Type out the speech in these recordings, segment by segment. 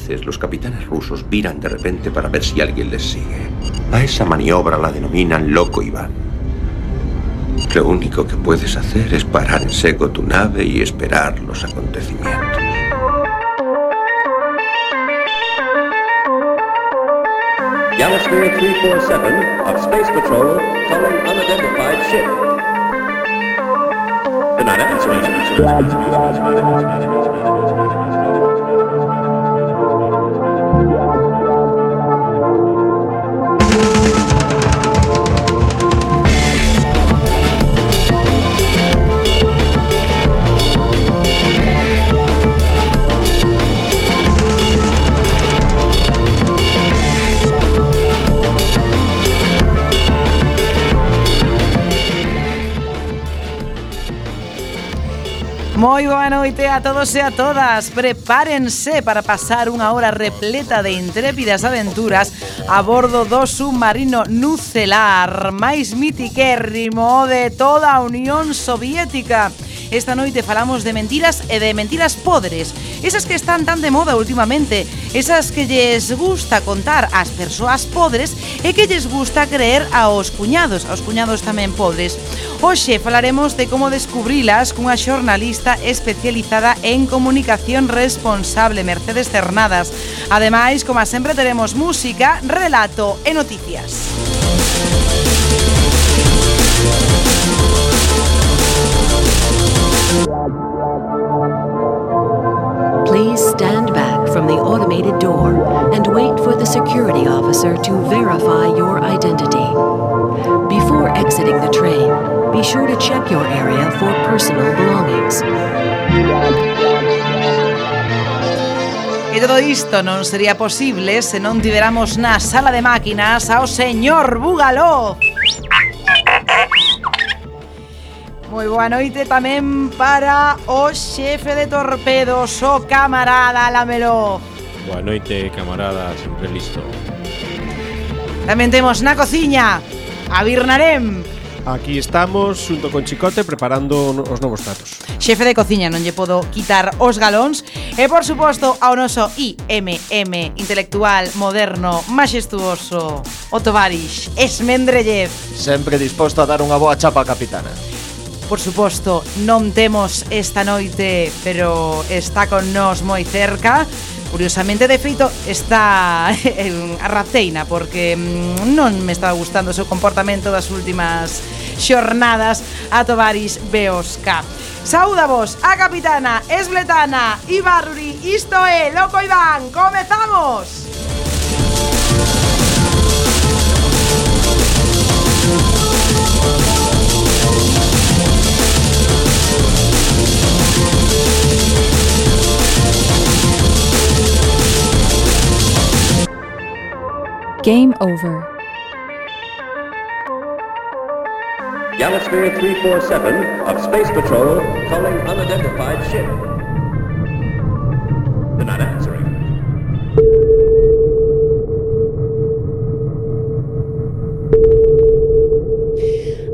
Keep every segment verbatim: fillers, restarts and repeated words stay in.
veces los capitanes rusos viran de repente para ver si alguien les sigue. A esa maniobra la denominan Loco Iván. Lo único que puedes hacer es parar en seco tu nave y esperar los acontecimientos. Galasphere three forty-seven of Space Patrol calling unidentified ship. The not answering. Moi boa noite a todos e a todas. Prepárense para pasar unha hora repleta de intrépidas aventuras a bordo do submarino nucelar máis mitiquérrimo de toda a Unión Soviética. Esta noite falamos de mentiras e de mentiras podres, esas que están tan de moda últimamente, esas que lles gusta contar ás persoas podres e que lles gusta creer aos cuñados, aos cuñados tamén podres. Hoxe falaremos de como descubrilas cunha xornalista especializada en comunicación responsable, Mercedes Cernadas. Ademais, como sempre, teremos música, relato e noticias. Please stand back from the automated door and wait for the security officer to verify your identity. Before exiting the train, be sure to check your area for personal belongings. E todo isto non sería posible se non tiveramos na sala de máquinas ao señor Bugaló. Moi boa noite tamén para o xefe de torpedos, o camarada Lameló. Boa noite, camarada, sempre listo. Tamén temos na cociña a Birnarem. Aquí estamos, xunto con Chicote, preparando os novos pratos. Xefe de cociña, non lle podo quitar os galóns. E, por suposto, ao noso I M M intelectual, moderno, maxestuoso, o Tovarix Esmendrellev. Sempre disposto a dar unha boa chapa a capitana. Por suposto, non temos esta noite, pero está con nós moi cerca. Curiosamente, de feito, está a raceina, porque non me estaba gustando o seu comportamento das últimas xornadas a Tovarix Beosca. Saúda vos a capitana Esbletana Ibarruri. Isto é Loco Iván. Comezamos! Game over. Galasphere three forty-seven of Space Patrol calling unidentified ship. They're not answering.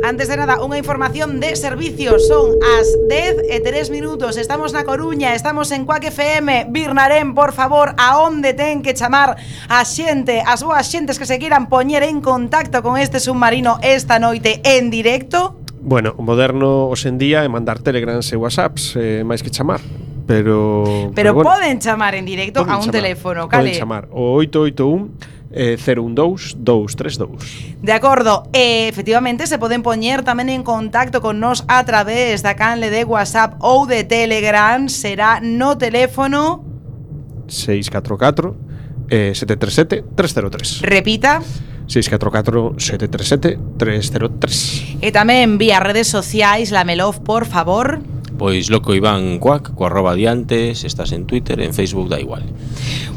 Antes de nada, unha información de servicios. Son as dez e tres minutos. Estamos na Coruña, estamos en Quack F M. Birnarem, por favor, a onde ten que chamar a xente, as boas xentes que se queiran poñer en contacto con este submarino esta noite en directo? Bueno, o moderno hoxendía é mandar telegrams e whatsapps, eh, máis que chamar. Pero, pero, pero bueno, poden chamar en directo a un chamar, teléfono, cale? Poden chamar o oito oito un cero un dous dous tres dous. De acordo, e efectivamente se poden poñer tamén en contacto con nos a través da canle de WhatsApp ou de Telegram. Será no teléfono seis catro catro sete tres sete tres cero tres. Repita. seis catro catro sete tres sete tres cero tres. E tamén vía redes sociais, Lamelov, por favor. Pois Loco Iván Cuac, co arroba diantes, estás en Twitter, en Facebook, da igual.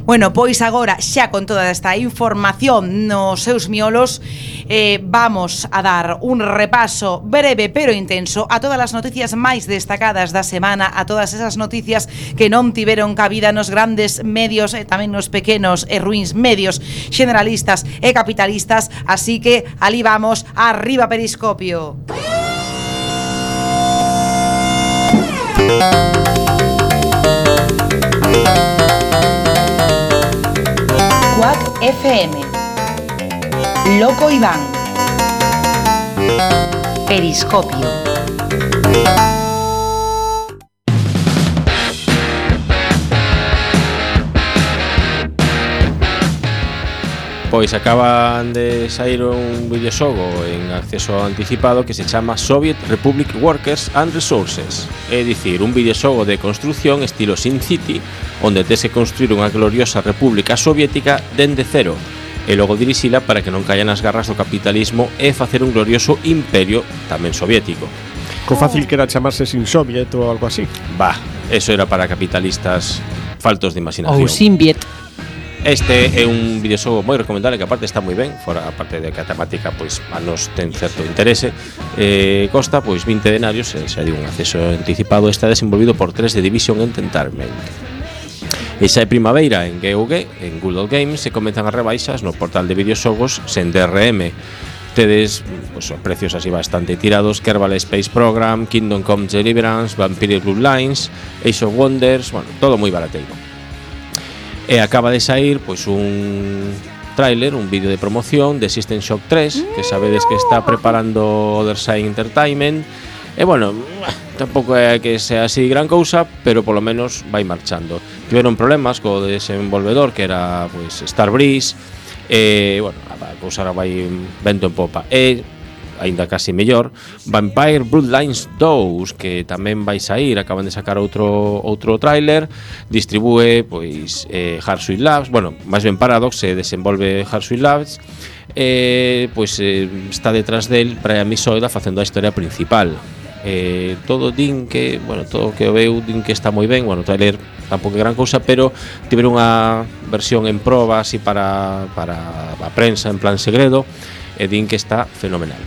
Bueno, pois agora, xa con toda esta información nos seus miolos, eh, vamos a dar un repaso breve pero intenso a todas as noticias máis destacadas da semana, a todas esas noticias que non tiveron cabida nos grandes medios e tamén nos pequenos e ruins medios generalistas e capitalistas, así que alí vamos, arriba Periscopio. M, Loco Iván, Periscopio. Pois acaban de sair un videoxogo en acceso anticipado que se chama Soviet Republic Workers and Resources. É dicir, un videoxogo de construción estilo SimCity, onde tes que construir unha gloriosa república soviética dende cero e logo dirixila para que non caia nas garras do capitalismo e facer un glorioso imperio tamén soviético. Co fácil que era chamarse sin Soviet ou algo así. Bah, eso era para capitalistas faltos de imaginación. Ou Simbiet. Este é un videoxogo moi recomendable que aparte está moi ben, fora a parte de que a temática pois a nos ten certo interese. Eh, costa pois vinte denarios, e xa digo, un acceso anticipado. Está desenvolvido por tres de Division Entertainment. E xa é primavera en G O G, en Google Games, se comenzan as rebaixas no portal de videoxogos sen D R M. Tedes pois, os precios así bastante tirados: Kerbal Space Program, Kingdom Come Deliverance, Vampire Bloodlines, Age of Wonders, bueno, todo moi barateiro. E acaba de sair pois un tráiler, un vídeo de promoción de System Shock tres, que sabedes que está preparando Otherside Entertainment. E bueno, tampouco é que sea así gran cousa, pero polo menos vai marchando. Tiveron problemas co desenvolvedor, que era pois Starbreeze, e bueno, a cousa ahora vai vento en popa. E aínda casi mellor, Vampire Bloodlines dous, que tamén vai sair, acaban de sacar outro outro tráiler, distribúe pois eh, Hardsuite Labs, bueno, máis ben Paradox, se desenvolve Hardsuite Labs, e pois eh, está detrás del Brian Misoida facendo a historia principal. Eh, todo din que, bueno, todo que o veu din que está moi ben, bueno, o tráiler tampouco é gran cousa, pero tiveron unha versión en proba así para, para a prensa en plan segredo, e din que está fenomenal.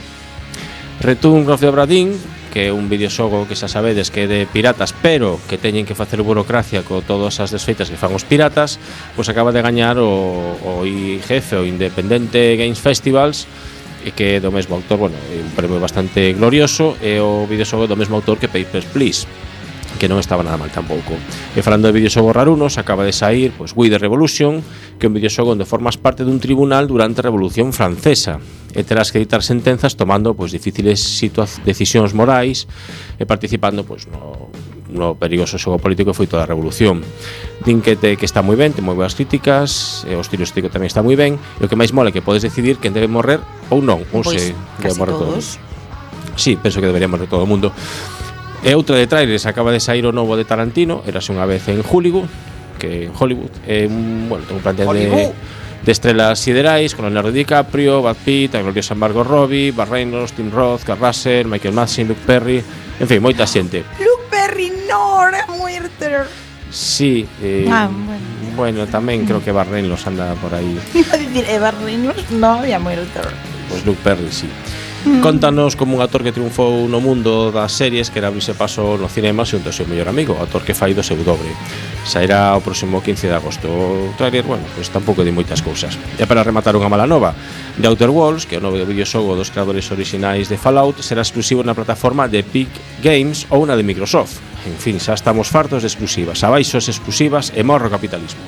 Return of the Obra Dinn, que é un videoxogo que xa sabedes que é de piratas, pero que teñen que facer burocracia con todas as desfeitas que fan os piratas, pois acaba de gañar o, o I G F, o Independente Games Festivals, e que é do mesmo autor, bueno, é un premio bastante glorioso, e o videoxogo do mesmo autor que Papers, Please, que non estaba nada mal tampouco. E falando de videoxogos rarunos, acaba de sair pois We the Revolution, que é un videoxogo onde formas parte dun tribunal durante a Revolución Francesa e terás que dictar sentenzas tomando pois difíciles decisións morais e participando pois no, no perigoso xogo político que foi toda a Revolución. Din que, te, que está moi ben, ten moi boas críticas, e o estilo estético tamén está moi ben, e o que máis mola é que podes decidir quen debe morrer ou non, ou pois se debe morrer todo o mundo. Sí, penso que debería morrer todo o mundo. E outra de trailers, acaba de sair o novo de Tarantino, Érase unha vez en Hollywood, que en Hollywood é un, bueno, un plantel de, de estrelas siderais con Leonardo DiCaprio, Brad Pitt, a gloriosa Margot Robbie, Burt Reynolds, Tim Roth, Kurt Russell, Michael Madsen, Luke Perry, en fin, moita xente. Luke Perry no, era muerto. Sí, eh, ah, bueno. bueno, tamén creo que Burt Reynolds anda por aí. Iba a dicir, eh, Burt Reynolds no había muerto. Pois Luke Perry, sí. Contanos como un actor que triunfou no mundo das series que era abrirse paso no cinema xunto ao seu mellor amigo, o actor que fai do seu dobre. Sairá o próximo quince de agosto. O trailer, bueno, pois tampouco di moitas cousas. E para rematar unha mala nova, The Outer Worlds, que é o novo videoxogo dos creadores orixinais de Fallout, será exclusivo na plataforma de Epic Games ou na de Microsoft. En fin, xa estamos fartos de exclusivas, abaixo as exclusivas e morro o capitalismo.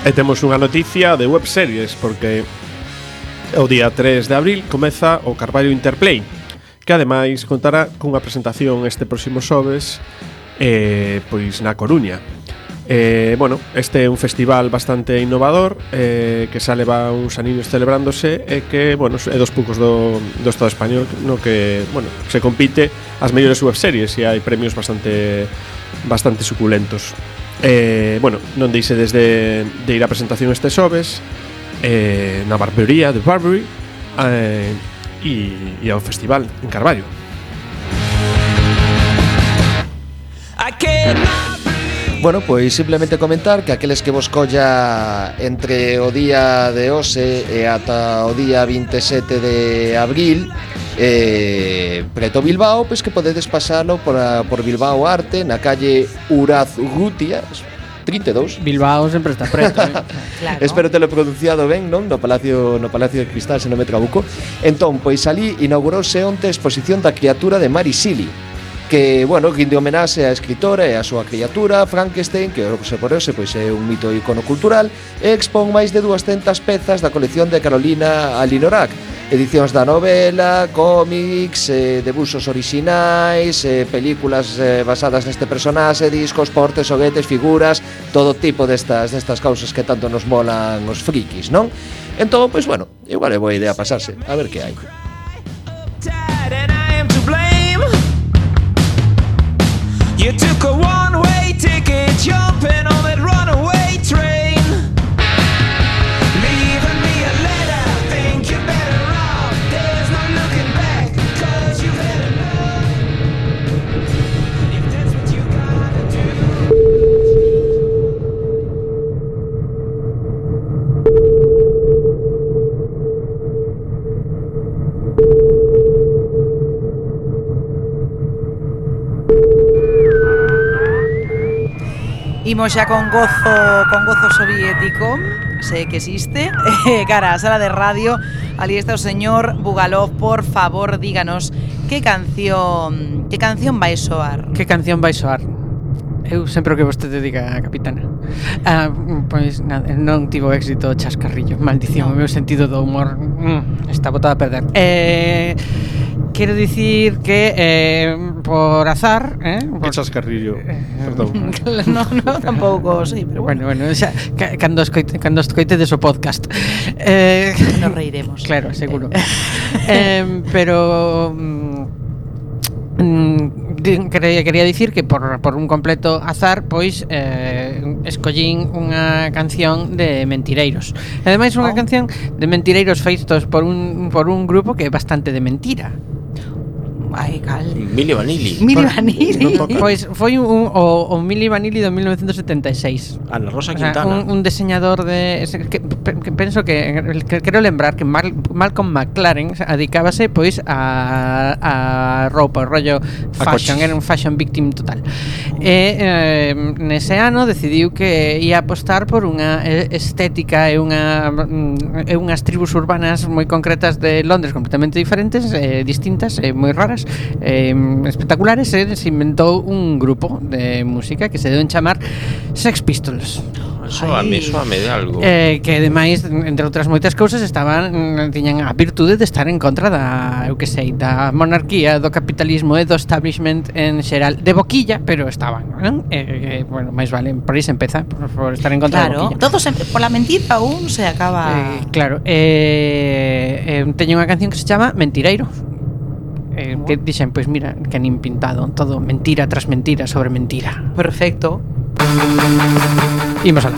E temos unha noticia de webseries, porque o día tres de abril comeza o Carballo Interplay, que ademais contará cunha presentación este próximo xoves eh, pois na Coruña. Eh, bueno, este é un festival bastante innovador, eh, que xa leva uns aniños celebrándose e que, bueno, é dos poucos do, do Estado español no que, bueno, se compite as mellores webseries e hai premios bastante bastante suculentos. Eh, bueno, non deixe desde de ir á presentación este xoves eh, na barbería de Barbary eh, e, e ao festival en Carballo. Bueno, pois simplemente comentar que aqueles que vos colla entre o día de hoxe e ata o día veintisiete de abril eh, preto Bilbao, pois que podedes pasalo por, a, por Bilbao Arte na calle Urazurrutia trinta e dous. Bilbao sempre está preto, eh? Claro. Espero telo pronunciado ben, non? No Palacio no Palacio de Cristal, se non me trabuco. Entón, pois ali inaugurouse onte a exposición da criatura de Mary Shelley. que, bueno, guinde homenaxe á escritora e á súa criatura Frankenstein, que se por ese pois é un mito e icono cultural, e expón máis de duascentas pezas da colección de Carolina Alinorak, edicións da novela, cómics, eh, debuxos orixinais, eh, películas eh, basadas neste personaxe, discos, portes, xoguetes, figuras, todo tipo destas destas causas que tanto nos molan os frikis, non? Entón, pois, bueno, igual é boa idea pasarse, a ver que hai. You took a one-way ticket, jumping on that runaway train, leaving me a letter, think you're better off, there's no looking back, cause you've had enough, if that's what you gotta do. Imos xa con gozo con gozo soviético, sei que existe, cara a sala de radio. Ali está o señor Bugalov, por favor, díganos que canción, que canción vai soar? Que canción vai soar? Eu sempre o que vostede diga, capitana. Ah, pois nada, non tivo éxito o chascarrillo, maldición, no. O meu sentido do humor mm, está botado a perder. Eh... Quero dicir que eh, por azar, eh, por... Que chascarrillo, perdón. No, no, tampouco, sí, pero bueno. Bueno, bueno, xa, cando escoite, cando escoitedes o podcast. Eh, nos reiremos. Claro, seguro. eh, pero mm, quería, quería dicir que por, por un completo azar, pois eh, escollín unha canción de Mentireiros. E ademais unha oh. canción de Mentireiros feitos por un, por un grupo que é bastante de mentira. Ai, cal. Milli Vanilli. Milli Vanilli. No pois foi un, o, o Milli Vanilli do mil novecentos setenta e seis. Ana Rosa o sea, Quintana. Un, un diseñador de que, que penso que, que quero lembrar que Mal, Malcolm McLaren adicábase pois a, a roupa, o rollo fashion, era un fashion victim total. E eh, nese ano decidiu que ia apostar por unha estética e unha e unhas tribus urbanas moi concretas de Londres completamente diferentes, eh, distintas e moi raras, eh, espectaculares, e se inventou un grupo de música que se deu en chamar Sex Pistols. Soame, soame de algo. Eh, que ademais, entre outras moitas cousas, estaban tiñan a virtude de estar en contra da, eu que sei, da monarquía, do capitalismo e do establishment en xeral, de boquilla, pero estaban, non? Eh, eh, bueno, máis vale, por aí se empeza, por, por estar en contra claro, da boquilla. Todo sempre, por la mentira un se acaba. Eh, claro, eh, eh, teño unha canción que se chama Mentireiro. Eh, que dixen, pois mira, que nin pintado, todo mentira tras mentira sobre mentira. Perfecto. Imos alá.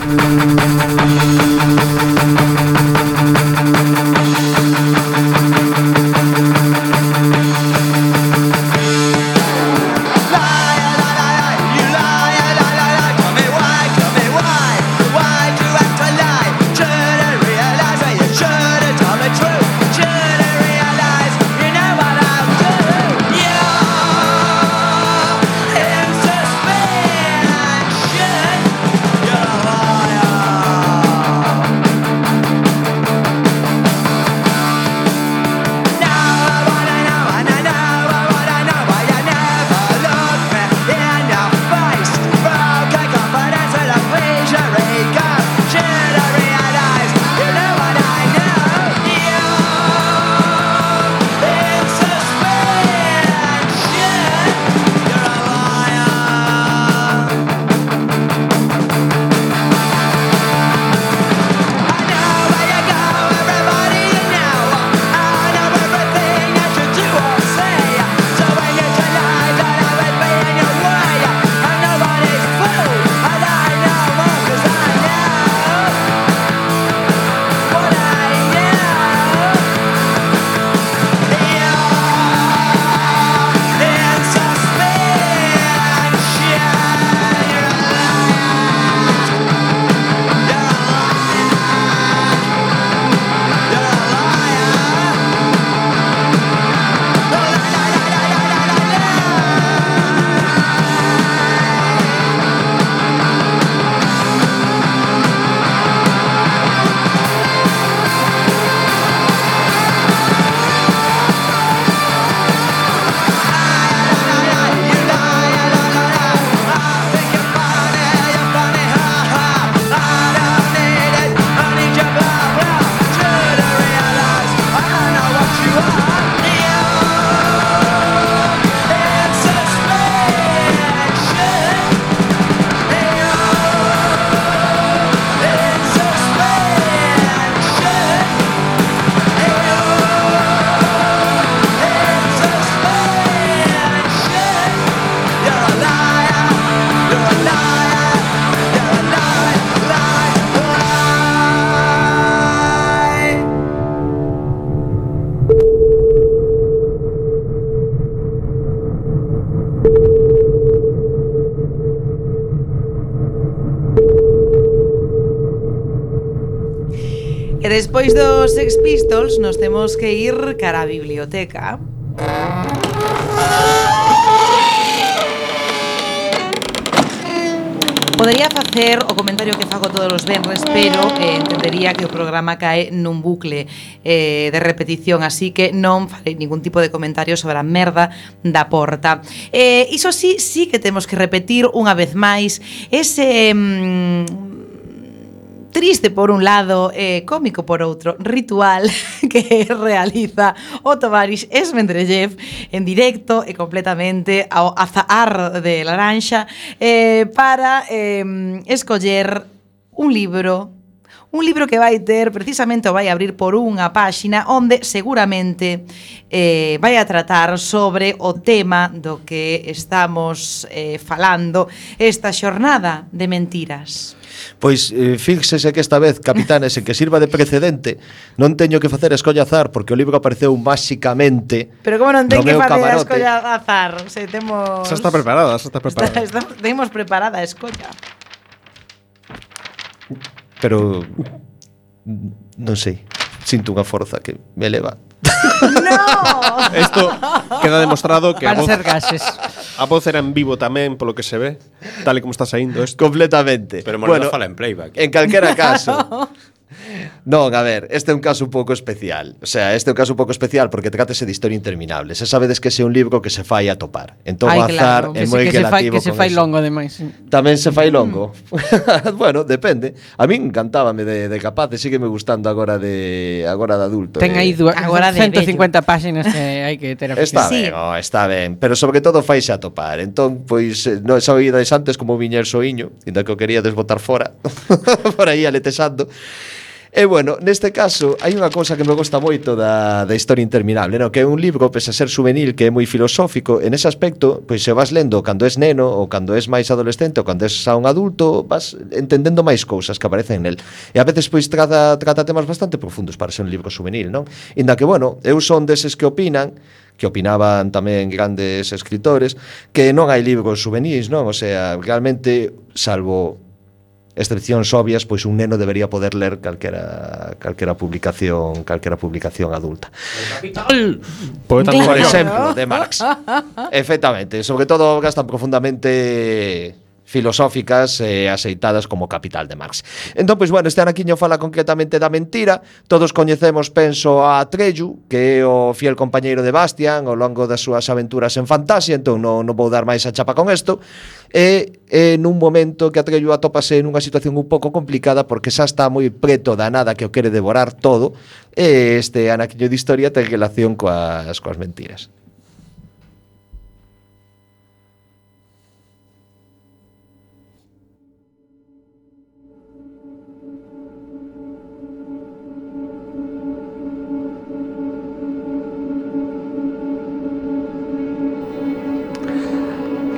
Now E despois dos Sex Pistols nos temos que ir cara a biblioteca. Podería facer o comentario que fago todos os venres, pero eh, entendería que o programa cae nun bucle eh, de repetición, así que non farei ningún tipo de comentario sobre a merda da porta. Eh, iso sí, sí que temos que repetir unha vez máis ese... Mm, triste por un lado, eh, cómico por outro, ritual que realiza o Tovarish Esmendrellev en directo e completamente ao azahar de laranxa eh, para eh, escoller un libro Un libro que vai ter, precisamente o vai abrir por unha páxina onde seguramente eh, vai a tratar sobre o tema do que estamos eh, falando esta xornada de mentiras. Pois eh, fíxese que esta vez, capitanes, en que sirva de precedente, non teño que facer escolla azar porque o libro apareceu máxicamente. Pero como non ten no que meu facer a camarote. escolla azar? Se temos... Xa está preparada, xa está preparada. Está, está, temos preparada a escolla. Pero non sei, sinto unha forza que me eleva. No. Esto queda demostrado que a Van voz, ser gases. a voz era en vivo tamén, polo que se ve, tal e como está saindo isto. Completamente. Pero Moreno Bueno, fala en playback. En calquera caso. Non, a ver, este é un caso un pouco especial. O sea, este é un caso un pouco especial porque trátese de historia interminable. Se sabedes que ese é un libro que se fai a topar. Entón Ai, o azar claro, é que se- moi que se fai, relativo que se con fai eso. longo ademais. Tamén se fai longo. Bueno, depende. A min encantábame de, de capaz e sígueme gustando agora de agora de adulto. Ten eh. aí dúas, Agora de ciento cincuenta páxinas que hai que ter Está Sí. ben, oh, está ben, pero sobre todo faise a topar. Entón, pois, eh, non xa oídas antes como viñer soiño, inda que o quería desbotar fora, por aí aletexando. E bueno, neste caso hai unha cousa que me gusta moito da, da historia interminable, no? Que é un libro, pese a ser juvenil, que é moi filosófico. En ese aspecto, pois se vas lendo cando és neno ou cando és máis adolescente ou cando és xa un adulto, vas entendendo máis cousas que aparecen nel. E a veces pois trata, trata temas bastante profundos para ser un libro juvenil, non? Inda que, bueno, eu son deses que opinan que opinaban tamén grandes escritores que non hai libros juvenis, non? O sea, realmente, salvo excepcións obvias, pois un neno debería poder ler calquera calquera publicación, calquera publicación adulta. Poeta Por Claro. exemplo, de Marx. Efectivamente, sobre todo obras tan profundamente filosóficas e eh, aceitadas como Capital de Marx. Entón, pois, bueno, este anaquiño fala concretamente da mentira. Todos coñecemos, penso, a Atreyu, que é o fiel compañeiro de Bastian ao longo das súas aventuras en fantasía, entón non, non vou dar máis a chapa con isto. E, e nun momento que Atreyu atópase nunha situación un pouco complicada porque xa está moi preto da nada que o quere devorar todo, e este anaquiño de historia ten relación coas, coas mentiras.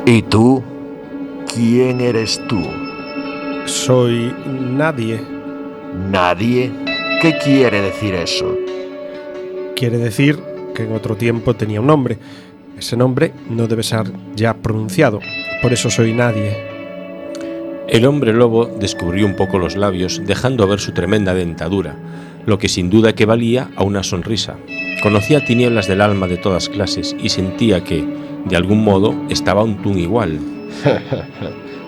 ¿Y tú? ¿Quién eres tú? Soy nadie. ¿Nadie? ¿Qué quiere decir eso? Quiere decir que en otro tiempo tenía un nombre. Ese nombre no debe ser ya pronunciado. Por eso soy nadie. El hombre lobo descubrió un poco los labios, dejando ver su tremenda dentadura, lo que sin duda equivalía a una sonrisa. Conocía tinieblas del alma de todas clases y sentía que, de algún modo, estaba un tún igual.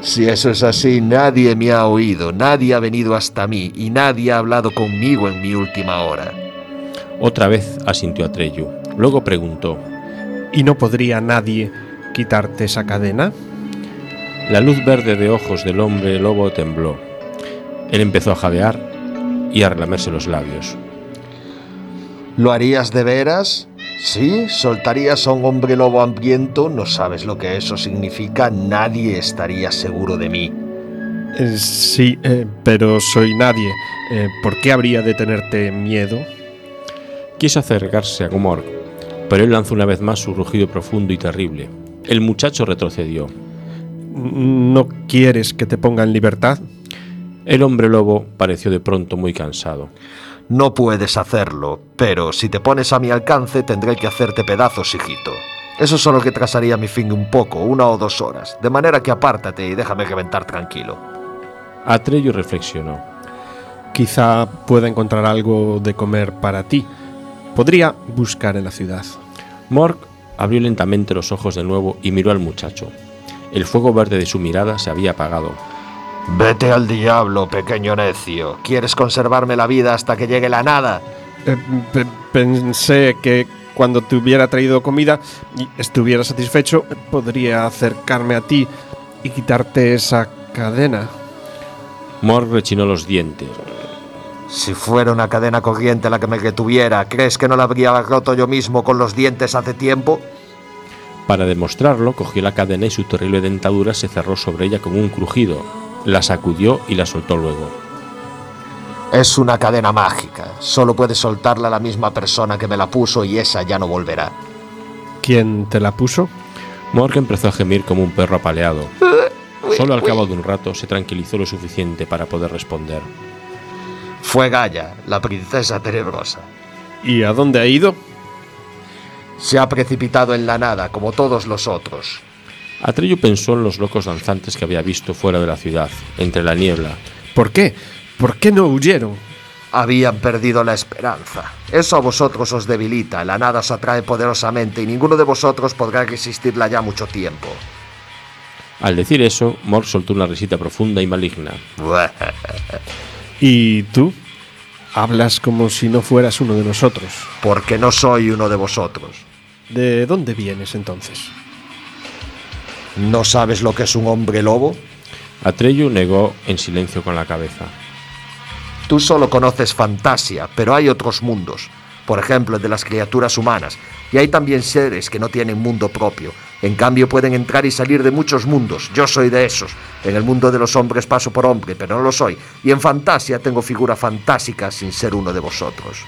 Si eso es así, nadie me ha oído, nadie ha venido hasta mí y nadie ha hablado conmigo en mi última hora. Otra vez asintió Atreyu. Luego preguntó: ¿Y no podría nadie quitarte esa cadena? La luz verde de ojos del hombre lobo tembló. Él empezó a jadear y a relamerse los labios. ¿Lo harías de veras? ¿Sí? ¿Soltarías a un hombre lobo hambriento? No sabes lo que eso significa. Nadie estaría seguro de mí. Eh, sí, eh, pero soy nadie. Eh, ¿Por qué habría de tenerte miedo? Quiso acercarse a Gomorg, pero él lanzó una vez más su rugido profundo y terrible. El muchacho retrocedió. ¿No quieres que te ponga en libertad? El hombre lobo pareció de pronto muy cansado. No puedes hacerlo, pero si te pones a mi alcance tendré que hacerte pedazos, hijito. Eso solo que trasaría mi fin un poco, una o dos horas, de manera que apártate y déjame reventar tranquilo. Atreyu reflexionó. Quizá pueda encontrar algo de comer para ti. Podría buscar en la ciudad. Morg abrió lentamente los ojos de nuevo y miró al muchacho. El fuego verde de su mirada se había apagado. Vete al diablo, pequeño necio. ¿Quieres conservarme la vida hasta que llegue la nada? Eh, pe- pensé que cuando te hubiera traído comida y estuviera satisfecho, podría acercarme a ti y quitarte esa cadena. Morg rechinó los dientes. Si fuera una cadena corriente la que me retuviera, ¿crees que no la habría roto yo mismo con los dientes hace tiempo? Para demostrarlo, cogió la cadena y su terrible dentadura se cerró sobre ella con un crujido. La sacudió y la soltó luego. Es una cadena mágica. Solo puede soltarla la misma persona que me la puso y esa ya no volverá. ¿Quién te la puso? Morg empezó a gemir como un perro apaleado. Solo al cabo de un rato se tranquilizó lo suficiente para poder responder. Fue Gaia, la princesa tenebrosa. ¿Y a dónde ha ido? Se ha precipitado en la nada, como todos los otros. Atreyu pensó en los locos danzantes que había visto fuera de la ciudad, entre la niebla. ¿Por qué? ¿Por qué no huyeron? Habían perdido la esperanza. Eso a vosotros os debilita, la nada os atrae poderosamente y ninguno de vosotros podrá resistirla ya mucho tiempo. Al decir eso, Morg soltó una risita profunda y maligna. ¿Y tú? Hablas como si no fueras uno de nosotros. Porque no soy uno de vosotros. ¿De dónde vienes entonces? ¿No sabes lo que es un hombre lobo? Atreyu negó en silencio con la cabeza. Tú solo conoces Fantasia, pero hay otros mundos. Por ejemplo, el de las criaturas humanas. Y hay también seres que no tienen mundo propio. En cambio, pueden entrar y salir de muchos mundos. Yo soy de esos. En el mundo de los hombres paso por hombre, pero no lo soy. Y en Fantasia tengo figura fantástica sin ser uno de vosotros.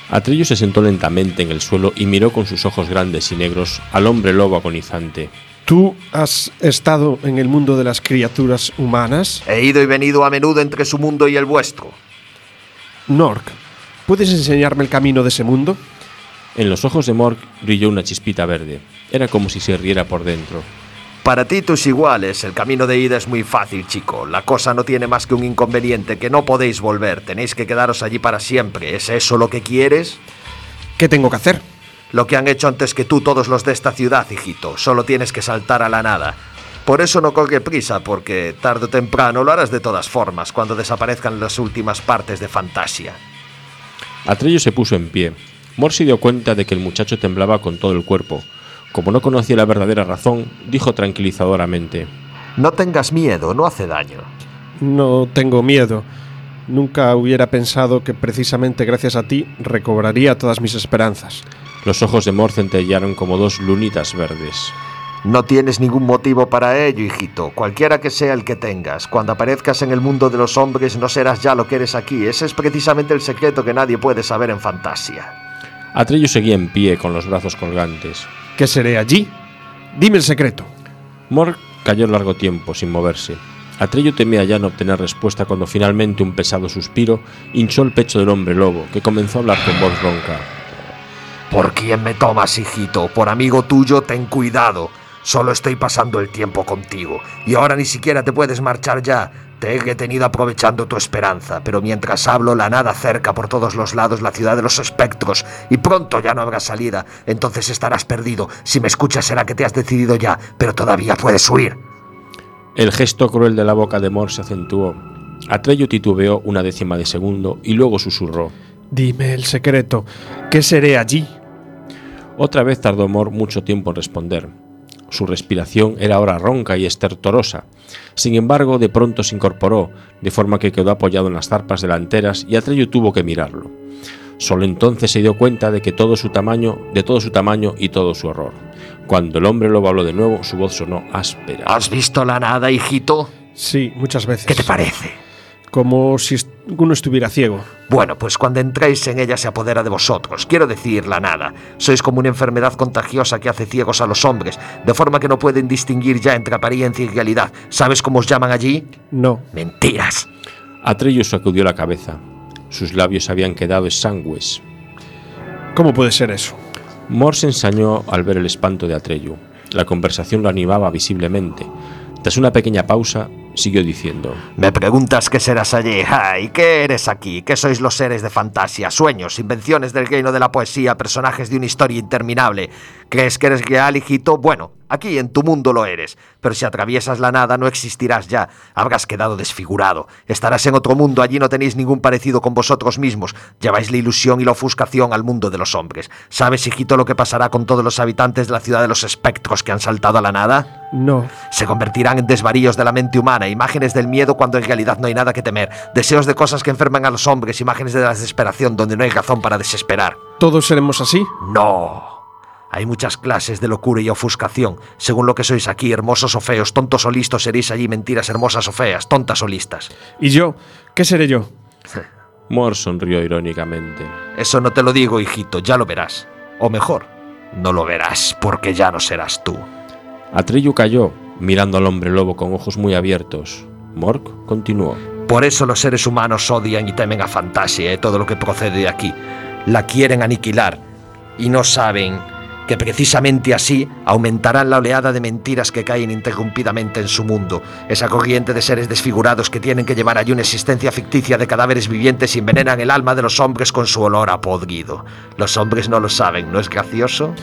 Atreyu se sentó lentamente en el suelo y miró con sus ojos grandes y negros al hombre lobo agonizante. ¿Tú has estado en el mundo de las criaturas humanas? He ido y venido a menudo entre su mundo y el vuestro. Nork, ¿puedes enseñarme el camino de ese mundo? En los ojos de Morg brilló una chispita verde. Era como si se riera por dentro. Para ti, tus iguales, el camino de ida es muy fácil, chico. La cosa no tiene más que un inconveniente, que no podéis volver. Tenéis que quedaros allí para siempre. ¿Es eso lo que quieres? ¿Qué tengo que hacer? Lo que han hecho antes que tú todos los de esta ciudad, hijito. Solo tienes que saltar a la nada. Por eso no corre prisa, porque tarde o temprano lo harás de todas formas, cuando desaparezcan las últimas partes de Fantasia. Atreyu se puso en pie. Morg se dio cuenta de que el muchacho temblaba con todo el cuerpo. Como no conocía la verdadera razón, dijo tranquilizadoramente: No tengas miedo, no hace daño. No tengo miedo. Nunca hubiera pensado que precisamente gracias a ti recobraría todas mis esperanzas. Los ojos de Morg centellaron como dos lunitas verdes. No tienes ningún motivo para ello, hijito. Cualquiera que sea el que tengas, cuando aparezcas en el mundo de los hombres no serás ya lo que eres aquí. Ese es precisamente el secreto que nadie puede saber en Fantasia. Atreyu seguía en pie con los brazos colgantes. ¿Qué seré allí? Dime el secreto. Morg cayó largo tiempo sin moverse. Atreyu temía ya no obtener respuesta cuando finalmente un pesado suspiro hinchó el pecho del hombre lobo, que comenzó a hablar con voz ronca. ¿Por quién me tomas, hijito? Por amigo tuyo, ten cuidado. Solo estoy pasando el tiempo contigo. Y ahora ni siquiera te puedes marchar ya. Te he retenido aprovechando tu esperanza. Pero mientras hablo, la nada cerca por todos los lados la ciudad de los espectros. Y pronto ya no habrá salida. Entonces estarás perdido. Si me escuchas será que te has decidido ya. Pero todavía puedes huir. El gesto cruel de la boca de Morg se acentuó. Atreyu titubeó una décima de segundo y luego susurró. Dime el secreto. ¿Qué seré allí? Otra vez tardó Morg mucho tiempo en responder. Su respiración era ahora ronca y estertorosa. Sin embargo, de pronto se incorporó, de forma que quedó apoyado en las zarpas delanteras y Atreyu tuvo que mirarlo. Solo entonces se dio cuenta de que todo su tamaño, de todo su tamaño y todo su horror. Cuando el hombre lobo habló de nuevo, su voz sonó áspera. ¿Has visto la nada, hijito? Sí, muchas veces. ¿Qué te parece? Como si uno estuviera ciego. Bueno, pues cuando entréis en ella se apodera de vosotros. Quiero decir, la nada. Sois como una enfermedad contagiosa que hace ciegos a los hombres, de forma que no pueden distinguir ya entre apariencia y realidad. ¿Sabes cómo os llaman allí? No. Mentiras. Atreyu sacudió la cabeza. Sus labios habían quedado exangües. ¿Cómo puede ser eso? Morg se ensañó al ver el espanto de Atreyu. La conversación lo animaba visiblemente. Tras una pequeña pausa, siguió diciendo: Me preguntas qué serás allí. Ay, ¿qué eres aquí? ¿Qué sois los seres de fantasía? Sueños, invenciones del reino de la poesía, personajes de una historia interminable. ¿Crees que eres real, hijito? Bueno, aquí en tu mundo lo eres. Pero si atraviesas la nada no existirás ya. Habrás quedado desfigurado. Estarás en otro mundo. Allí no tenéis ningún parecido con vosotros mismos. Lleváis la ilusión y la ofuscación al mundo de los hombres. ¿Sabes, hijito, lo que pasará con todos los habitantes de la ciudad de los espectros que han saltado a la nada? No. Se convertirán en desvaríos de la mente humana, imágenes del miedo cuando en realidad no hay nada que temer, deseos de cosas que enferman a los hombres, imágenes de la desesperación donde no hay razón para desesperar. ¿Todos seremos así? No. Hay muchas clases de locura y ofuscación. Según lo que sois aquí, hermosos o feos, tontos o listos, seréis allí mentiras hermosas o feas, tontas o listas. ¿Y yo? ¿Qué seré yo? Mor sonrió irónicamente. Eso no te lo digo, hijito, ya lo verás. O mejor, no lo verás, porque ya no serás tú. Atreyu calló, mirando al hombre lobo con ojos muy abiertos. Mork continuó. Por eso los seres humanos odian y temen a Fantasia y todo lo que procede de aquí. La quieren aniquilar y no saben que precisamente así aumentarán la oleada de mentiras que caen interrumpidamente en su mundo. Esa corriente de seres desfigurados que tienen que llevar allí una existencia ficticia de cadáveres vivientes y envenenan el alma de los hombres con su olor a podrido. Los hombres no lo saben, ¿no es gracioso?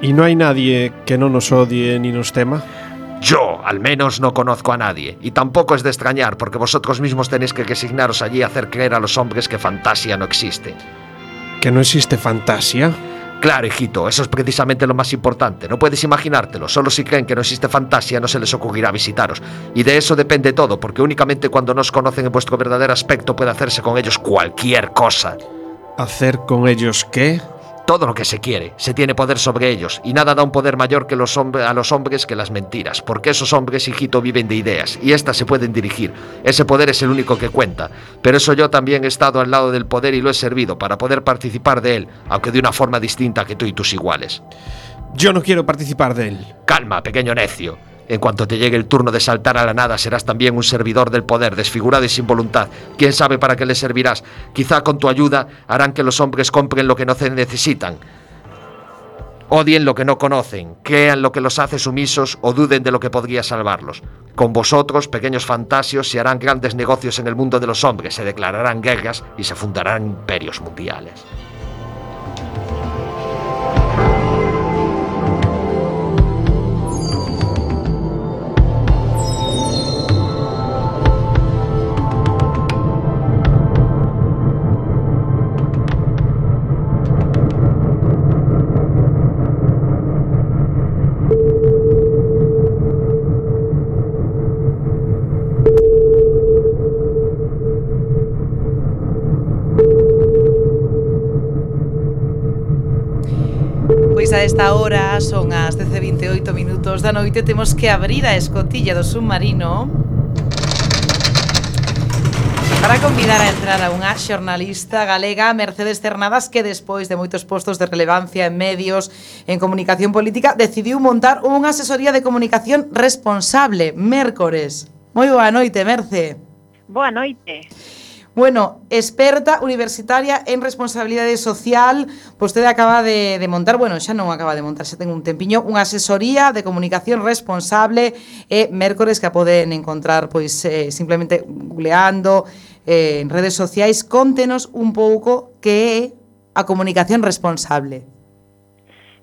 ¿Y no hay nadie que no nos odie ni nos tema? Yo, al menos, no conozco a nadie. Y tampoco es de extrañar, porque vosotros mismos tenéis que resignaros allí a hacer creer a los hombres que Fantasia no existe. ¿Que no existe Fantasia? Claro, hijito, eso es precisamente lo más importante. No puedes imaginártelo. Solo si creen que no existe Fantasia no se les ocurrirá visitaros. Y de eso depende todo, porque únicamente cuando nos conocen en vuestro verdadero aspecto puede hacerse con ellos cualquier cosa. ¿Hacer con ellos qué? Todo lo que se quiere, se tiene poder sobre ellos, y nada da un poder mayor que los a los hombres que las mentiras, porque esos hombres, hijito, viven de ideas, y éstas se pueden dirigir. Ese poder es el único que cuenta, pero eso yo también he estado al lado del poder y lo he servido para poder participar de él, aunque de una forma distinta que tú y tus iguales. Yo no quiero participar de él. Calma, pequeño necio. En cuanto te llegue el turno de saltar a la nada, serás también un servidor del poder, desfigurado y sin voluntad. ¿Quién sabe para qué le servirás? Quizá con tu ayuda harán que los hombres compren lo que no necesitan, odien lo que no conocen, crean lo que los hace sumisos o duden de lo que podría salvarlos. Con vosotros, pequeños fantasios, se harán grandes negocios en el mundo de los hombres, se declararán guerras y se fundarán imperios mundiales. Pois a esta hora son as dez e vinte e oito minutos da noite. Temos que abrir a escotilla do submarino para convidar a entrar a unha xornalista galega, Mercedes Cernadas, que despois de moitos postos de relevancia en medios, en comunicación política, decidiu montar unha asesoría de comunicación responsable, Mércores. Moi boa noite, Merce. Boa noite. Bueno, experta universitaria en responsabilidade social, vostede acaba de, de montar, bueno, xa non acaba de montar, xa ten un tempiño, unha asesoría de comunicación responsable e Mércores que a poden encontrar pois eh, simplemente googleando eh, en redes sociais. Contenos un pouco que é a comunicación responsable.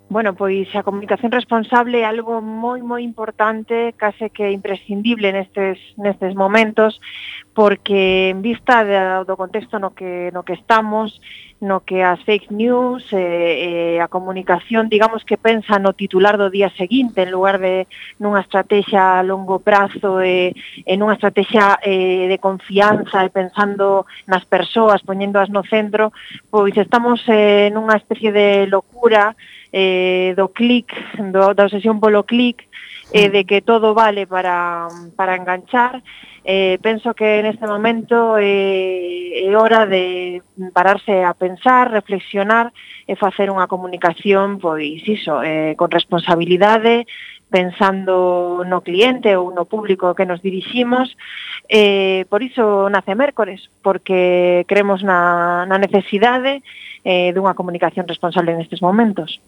Bueno, pois a comunicación responsable é algo moi moi importante, case que imprescindible nestes nestes momentos, porque en vista de, do contexto no que no que estamos, no que as fake news e eh, eh, a comunicación, digamos que pensa no titular do día seguinte en lugar de nunha estrategia a longo prazo e, e nunha estrategia eh, de confianza e pensando nas persoas, poñéndoas no centro, pois estamos eh, nunha especie de locura eh, do clic, do, da obsesión polo clic, eh, de que todo vale para, para enganchar. Eh, penso que neste momento eh, é hora de pararse a pensar, reflexionar e facer unha comunicación, pois iso, eh, con responsabilidade, pensando no cliente ou no público que nos diriximos. Eh, por iso nace Mércores, porque creemos na, na necesidade eh, dunha comunicación responsable nestes momentos.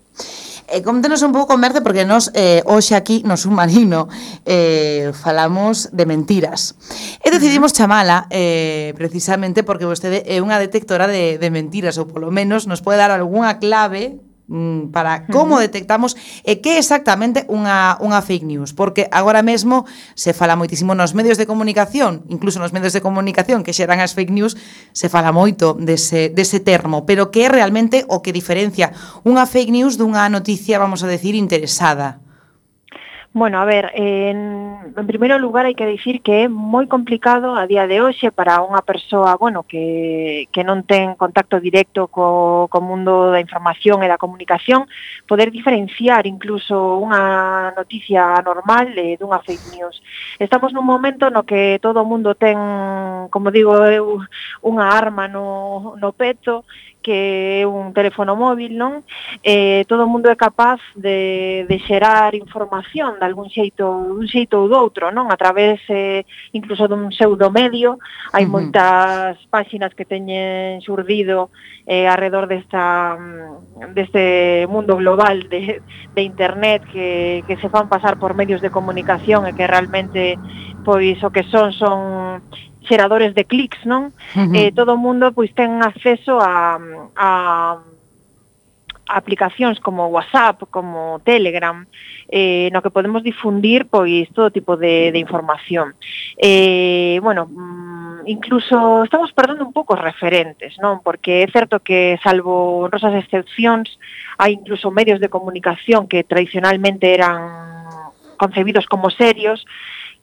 Eh, conténos un pouco, Merce, porque nos eh, hoxe aquí no Submarino eh, falamos de mentiras. E decidimos chamala eh, precisamente porque vostede é unha detectora de, de mentiras, ou polo menos nos pode dar algunha clave mm, para como detectamos e que é exactamente unha, unha fake news, porque agora mesmo se fala moitísimo nos medios de comunicación, incluso nos medios de comunicación que xeran as fake news, se fala moito dese, dese termo, pero que é realmente o que diferencia unha fake news dunha noticia, vamos a decir, interesada. Bueno, a ver, en, en primeiro lugar hai que dicir que é moi complicado a día de hoxe para unha persoa, bueno, que, que non ten contacto directo co, co mundo da información e da comunicación, poder diferenciar incluso unha noticia normal eh, dunha fake news. Estamos nun momento no que todo o mundo ten, como digo eu, unha arma no, no peto, que é un teléfono móvil, non? Eh, todo o mundo é capaz de, de xerar información de algún xeito, dun xeito ou do outro, non? A través eh, incluso dun pseudomedio, hai uh-huh. moitas páxinas que teñen xurdido eh, alrededor desta, deste mundo global de, de internet que, que se fan pasar por medios de comunicación e que realmente pois o que son son xeradores de clics, non? Uh-huh. Eh, todo o mundo pois ten acceso a, a, a aplicacións como WhatsApp, como Telegram, eh, no que podemos difundir pois todo tipo de, de información. Eh, bueno, mm, incluso estamos perdendo un pouco os referentes, non? Porque é certo que, salvo honrosas excepcións, hai incluso medios de comunicación que tradicionalmente eran concebidos como serios,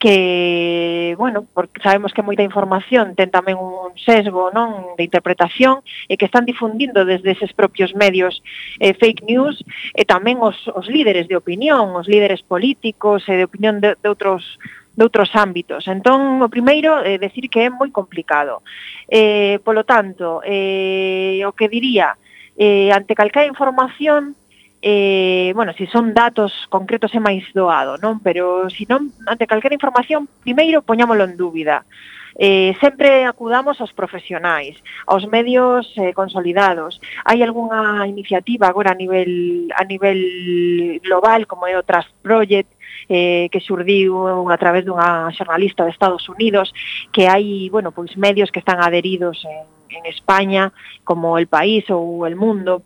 que, bueno, porque sabemos que moita información ten tamén un sesgo, non, de interpretación e que están difundindo desde eses propios medios eh, fake news e tamén os, os líderes de opinión, os líderes políticos e de opinión de, de outros de outros ámbitos. Entón, o primeiro é eh, decir que é moi complicado. Eh, polo tanto, eh, o que diría, eh, ante calquera información, Eh, bueno, se si son datos concretos é máis doado, non? Pero se si non, ante calquera información, primeiro poñámolo en dúbida. Eh, sempre acudamos aos profesionais, aos medios eh, consolidados. Hai algunha iniciativa agora a nivel a nivel global, como é o Trust Project, eh, que xurdiu a través dunha xornalista de Estados Unidos, que hai, bueno, pois medios que están adheridos en, en España, como El País ou El Mundo,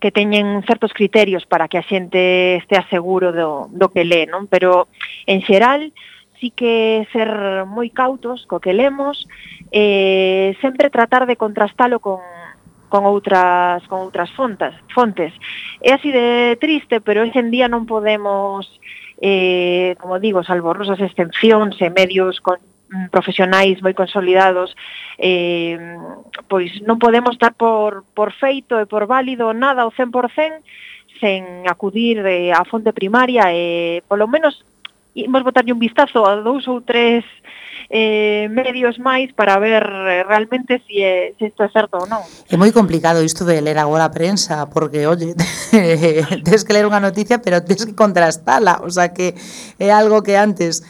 que teñen certos criterios para que a xente estea seguro do, do que lé, non? Pero, en xeral, sí que ser moi cautos co que lemos, eh, sempre tratar de contrastalo con, con outras con outras fontes, fontes. É así de triste, pero hoxe en día non podemos, eh, como digo, salvo rosas excepcións e medios con profesionais moi consolidados, eh, pois non podemos dar por, por feito e por válido nada ao cen por cen sen acudir eh, á fonte primaria e polo menos imos botarlle un vistazo a dous ou tres eh, medios máis para ver eh, realmente se si si isto é certo ou non. É moi complicado isto de ler agora a prensa, porque, oye, tens que ler unha noticia, pero tens que contrastala, o sea que é algo que antes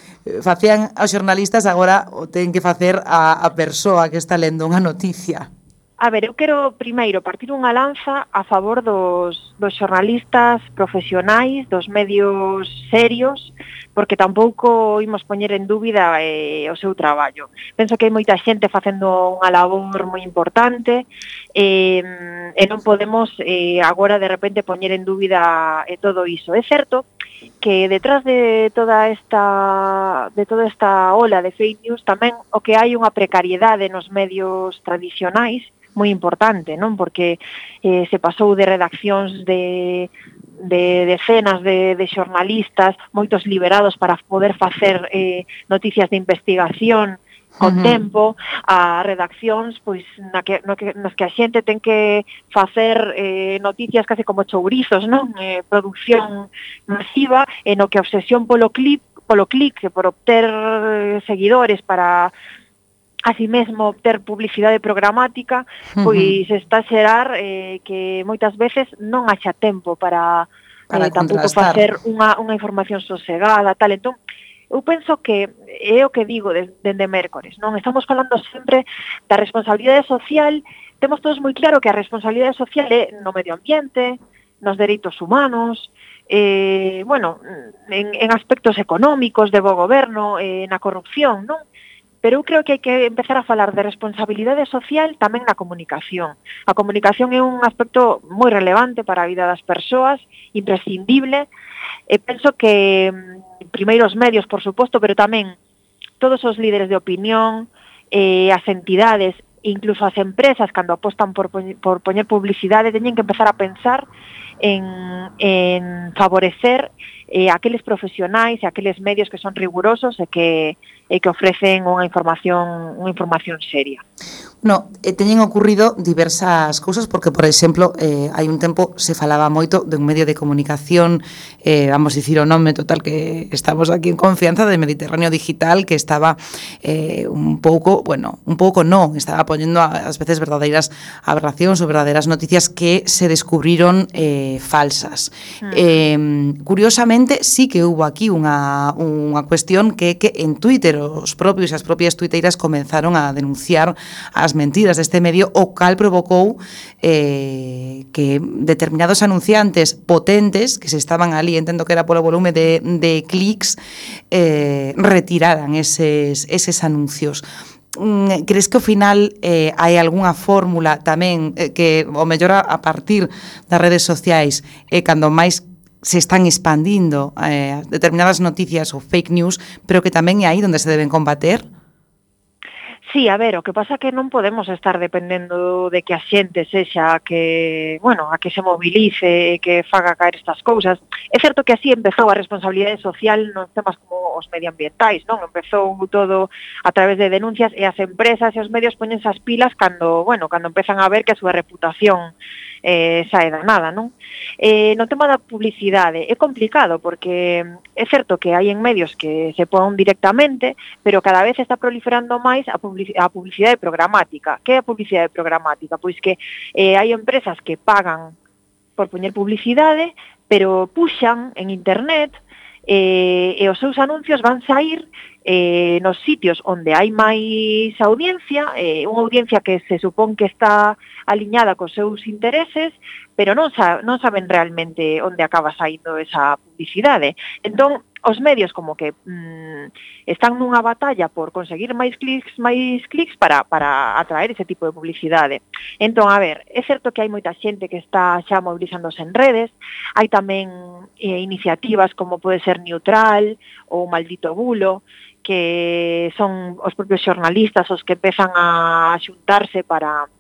facían os xornalistas, agora o ten que facer a, a persoa que está lendo unha noticia. A ver, eu quero primeiro partir unha lanza a favor dos, dos xornalistas profesionais, dos medios serios, porque tampouco imos poñer en dúbida eh, o seu traballo. Penso que hai moita xente facendo unha labor moi importante eh, e non podemos eh, agora de repente poñer en dúbida eh, todo iso. É certo que detrás de toda esta de toda esta ola de fake news tamén o que hai unha precariedade nos medios tradicionais moi importante, non? Porque eh, se pasou de redaccións de, de decenas de, de xornalistas, moitos liberados para poder facer eh, noticias de investigación con uh-huh. tempo, a redaccións pois na que, no que, nas que a xente ten que facer eh, noticias case como chourizos, non? Eh, producción masiva, e no que a obsesión polo clic, polo clic, por obter eh, seguidores para así mesmo obter publicidade programática, pois uh-huh. está a xerar eh, que moitas veces non haxa tempo para, para eh, tampouco facer unha, unha información sosegada, tal. Entón, eu penso que é o que digo desde de mércores, non? Estamos falando sempre da responsabilidade social, temos todos moi claro que a responsabilidade social é no medio ambiente, nos dereitos humanos, eh, bueno, en, en aspectos económicos, de bo goberno, eh, na corrupción, non? Pero eu creo que hai que empezar a falar de responsabilidade social tamén na comunicación. A comunicación é un aspecto moi relevante para a vida das persoas, imprescindible, e penso que primeiro os medios, por suposto, pero tamén todos os líderes de opinión, eh, as entidades, incluso as empresas, cando apostan por, por poñer publicidade, teñen que empezar a pensar en, en favorecer eh, aqueles profesionais e aqueles medios que son rigurosos e que, e que ofrecen unha información, unha información seria. No, eh, teñen ocurrido diversas cousas porque, por exemplo, eh, hai un tempo se falaba moito de un medio de comunicación, eh, vamos dicir o nome total que estamos aquí en confianza, de Mediterráneo Digital, que estaba eh, un pouco, bueno, un pouco non, estaba poñendo ás veces verdadeiras aberracións ou verdadeiras noticias que se descubriron eh, falsas. Mm. Eh, curiosamente, sí que hubo aquí unha, unha cuestión que, que en Twitter os propios e as propias tuiteiras comenzaron a denunciar as mentiras deste medio, o cal provocou eh, que determinados anunciantes potentes que se estaban ali, entendo que era polo volume de, de clics, eh, retiraran eses, eses anuncios. Crees que ao final eh, hai algunha fórmula tamén eh, que o mellor a, a partir das redes sociais e eh, cando máis se están expandindo eh, determinadas noticias ou fake news, pero que tamén é aí onde se deben combater? Sí, a ver, o que pasa é que non podemos estar dependendo de que a xente sexa que, bueno, a que se movilice e que faga caer estas cousas. É certo que así empezou a responsabilidade social nos temas como os medioambientais, non? Empezou todo a través de denuncias e as empresas e os medios poñense as pilas cando, bueno, cando empezan a ver que a súa reputación eh, sae danada, non? Eh, no tema da publicidade é complicado porque é certo que hai en medios que se pon directamente, pero cada vez está proliferando máis a publicidade a publicidade programática. Que é a publicidade programática? Pois que eh, hai empresas que pagan por poñer publicidade, pero puxan en internet eh, e os seus anuncios van sair eh, nos sitios onde hai máis audiencia, eh, unha audiencia que se supón que está aliñada cos seus intereses, pero non, sa non saben realmente onde acaba saindo esa publicidade. Entón, os medios como que mmm, están nunha batalla por conseguir máis clics, máis clics para, para atraer ese tipo de publicidade. Entón, a ver, é certo que hai moita xente que está xa movilizándose en redes, hai tamén eh, iniciativas como pode ser Neutral ou Maldito Bulo, que son os propios xornalistas os que empezan a xuntarse para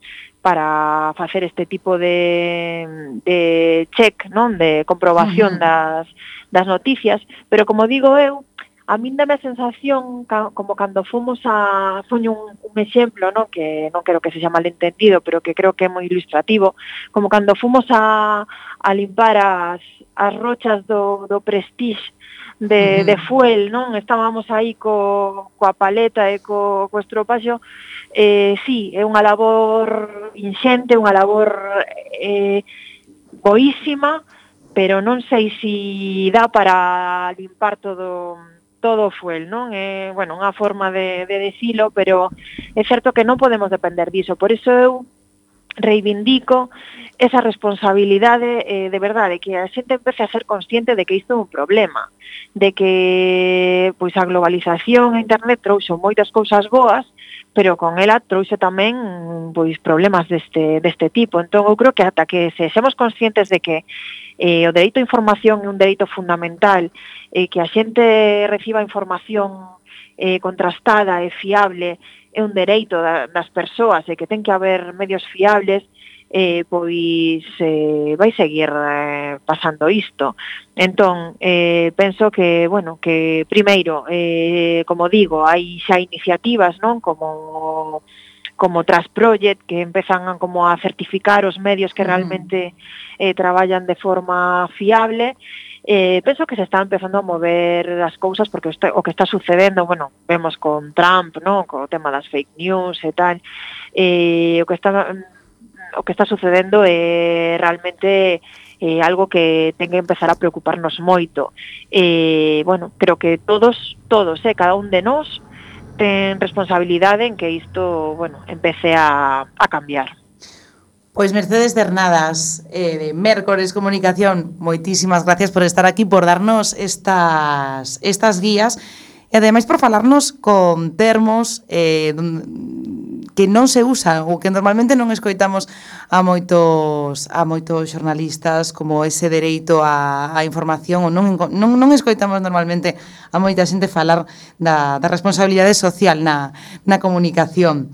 para facer este tipo de, de check, non, de comprobación uh-huh. das, das noticias, pero como digo eu, a min dame a sensación ca, como cando fomos a poño un, un exemplo, non, que non quero que se xa malentendido, pero que creo que é moi ilustrativo, como cando fomos a, a limpar as, as rochas do, do Prestige de, uh-huh. de fuel, non? Estábamos aí co, coa paleta e co, co estropaxo. Eh, sí, é unha labor inxente, unha labor eh, boísima, pero non sei se dá para limpar todo todo o fuel, non? É, bueno, unha forma de, de decilo, pero é certo que non podemos depender diso. Por iso eu reivindico esa responsabilidade eh, de verdade, que a xente empece a ser consciente de que isto é un problema, de que pois a globalización e internet trouxo moitas cousas boas, pero con ela trouxe tamén pois problemas deste deste tipo. Entón eu creo que ata que sexamos conscientes de que eh, o dereito á información é un dereito fundamental, e eh, que a xente reciba información eh, contrastada e fiable é un dereito da, das persoas e que ten que haber medios fiables, eh, pois eh, vai seguir eh, pasando isto. Entón, eh, penso que, bueno, que primeiro, eh, como digo, hai xa iniciativas, non, como como Trasproject, que empezan a, como a certificar os medios que realmente eh, traballan de forma fiable. Eh, penso que se está empezando a mover as cousas porque o, está, o que está sucedendo, bueno, vemos con Trump, ¿no?, co tema das fake news e tal, eh, o que está o que está sucedendo é realmente eh, algo que ten que empezar a preocuparnos moito. Eh, bueno, creo que todos, todos, eh, cada un de nós ten responsabilidade en que isto, bueno, empece a, a cambiar. Pois Mercedes Cernadas, eh, de Mércores Comunicación, moitísimas gracias por estar aquí, por darnos estas, estas guías e ademais por falarnos con termos eh, que non se usan ou que normalmente non escoitamos a moitos a moitos xornalistas, como ese dereito á, a información, ou non, non, non escoitamos normalmente a moita xente falar da, da responsabilidade social na, na comunicación.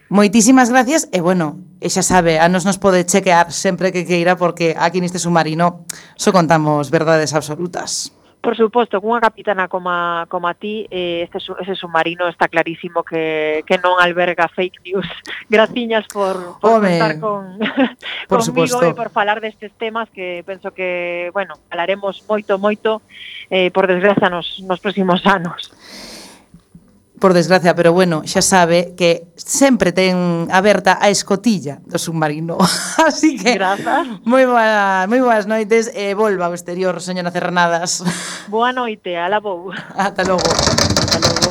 Moitísimas gracias e, bueno, e xa sabe, a nos nos pode chequear sempre que queira, porque aquí neste submarino só contamos verdades absolutas. Por suposto, cunha capitana como a, como a ti, eh, este, ese submarino está clarísimo que, que non alberga fake news. Graciñas por, por contar con, por conmigo suposto. e por falar destes temas que penso que, bueno, falaremos moito, moito, eh, por desgracia, nos, nos próximos anos. Por desgracia, pero bueno, xa sabe que sempre ten aberta a escotilla do submarino. Así que Grazas. moi boa, moi boas noites e volva ao exterior, señora Cernadas. Boa noite, ala vou. Ata logo. Ata logo.